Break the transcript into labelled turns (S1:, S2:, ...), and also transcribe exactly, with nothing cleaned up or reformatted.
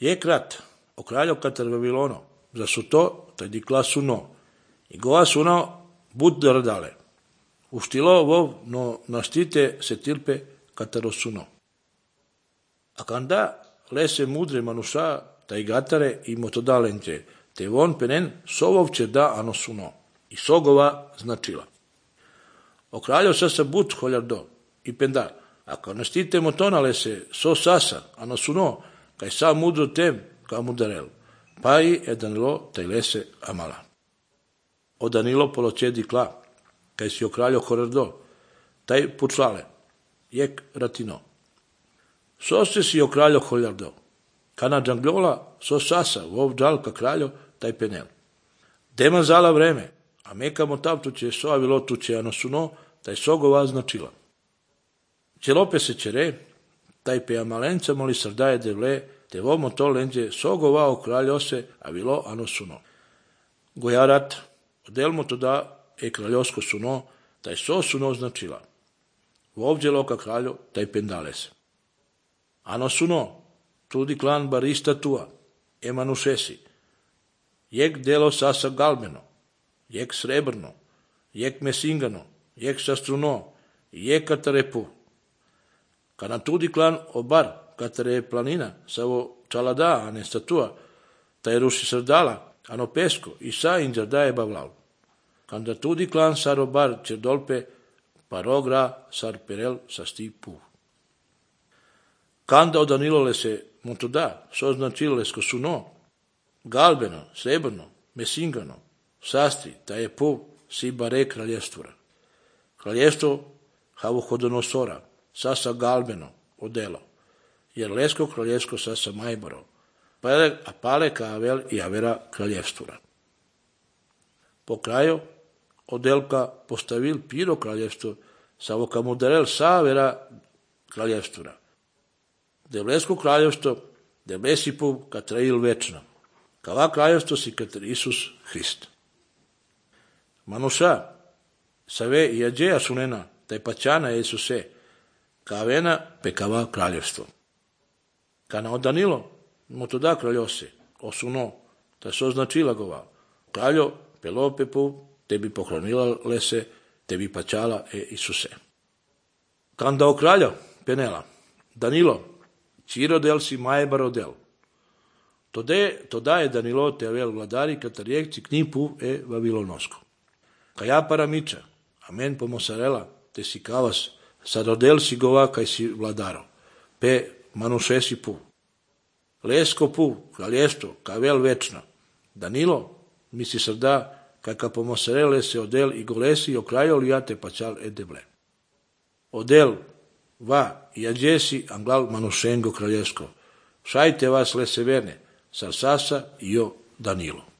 S1: Je krat, o kraljo kater Vavilono, za su to, taj dikla suno, i goa suno bud drdale. Uštilo vov, no naštite se tilpe katero suno. A kanda lese mudre manuša, taj gatare i motodalenče, te von penen sovovče da ano suno, i sogova značila. O kraljo sasa bud holjardo, i pendar, ako naštite motonale se so sasa, ano suno, kaj sa mudro tem, ka mudarel, pa i e Danilo taj lese amala. O Danilo poloče dikla, kaj si o kraljo horardo, taj pučlale, jek ratino. So se si o kraljo holjardo, kana džangljola so sasa, vov džalka kraljo, taj penel. Dema zala vreme, a meka motavtuće so avilo tuće ano suno, taj sogova značila. Čelope se čere, taj pe amalenca moli srdaje devle, te vomo to lenđe sogova o kraljose avilo ano suno. Gojarat, odelmo to da e kraljosko suno, taj so suno značila. Vovđe loka kraljo, taj pendales. Ano suno, tudi klan barista tua, e manušesi, jek delo sasa galbeno, jek srebrno, jek mesingano, jek sastruno, jek katarepu. Kana tudi klan obar, katare planina, savo čalada, a ne statua, taj ruši srdala, ano pesko, i sa inđarda je bavlal. Kanda tudi klan sar obar čerdolpe, parogra sar perel sa sti pu. Kanda o Danilole se montoda, so značilo lesko suno, galbeno, srebrno, mesingano, sastri, ta je pu, si bare kraljevstvora. Kraljevstvo Havuhodonosora, sasa galbeno, odelo, jer lesko kraljevsko sasa majboro, a pale ka avel i avera kraljevstvora. Po kraju, odelka postavil piro kraljevstvo, samo ka mudarel sa avera kraljevstvora. Devlesko kraljevstvo, devlesi pu katrail večno, kava kraljevstvo si katr Isus Hrist. Manuša, save i ađeja sunena, taj paćana Isuse, kavena pekava kraljevstvo. Kana o Danilo, mu to da kraljose, osuno, ta so značila gova. Kraljo, pelope pu, tebi pohranila lese, tebi paćala e Isuse. Kanda o kraljo, penela, Danilo, čiro del si majbaro del. To da je Danilo te avel vladari katarijekci knipu e Vavilonosko. Kaja paramiča, amen pomosarela, te si kavas, sarodel si gova kaj si vladaro, pe manuše si pu. Lesko pu, kraljestvo, kavel večno. Danilo, mi si srda, kaj ka pomosarele se odel i golesi o krajo lijate pačal e deble. Odel, va, i ađesi anglal manušengo kraljesko. Šajte vas leseverne, sar sasa i o Danilo.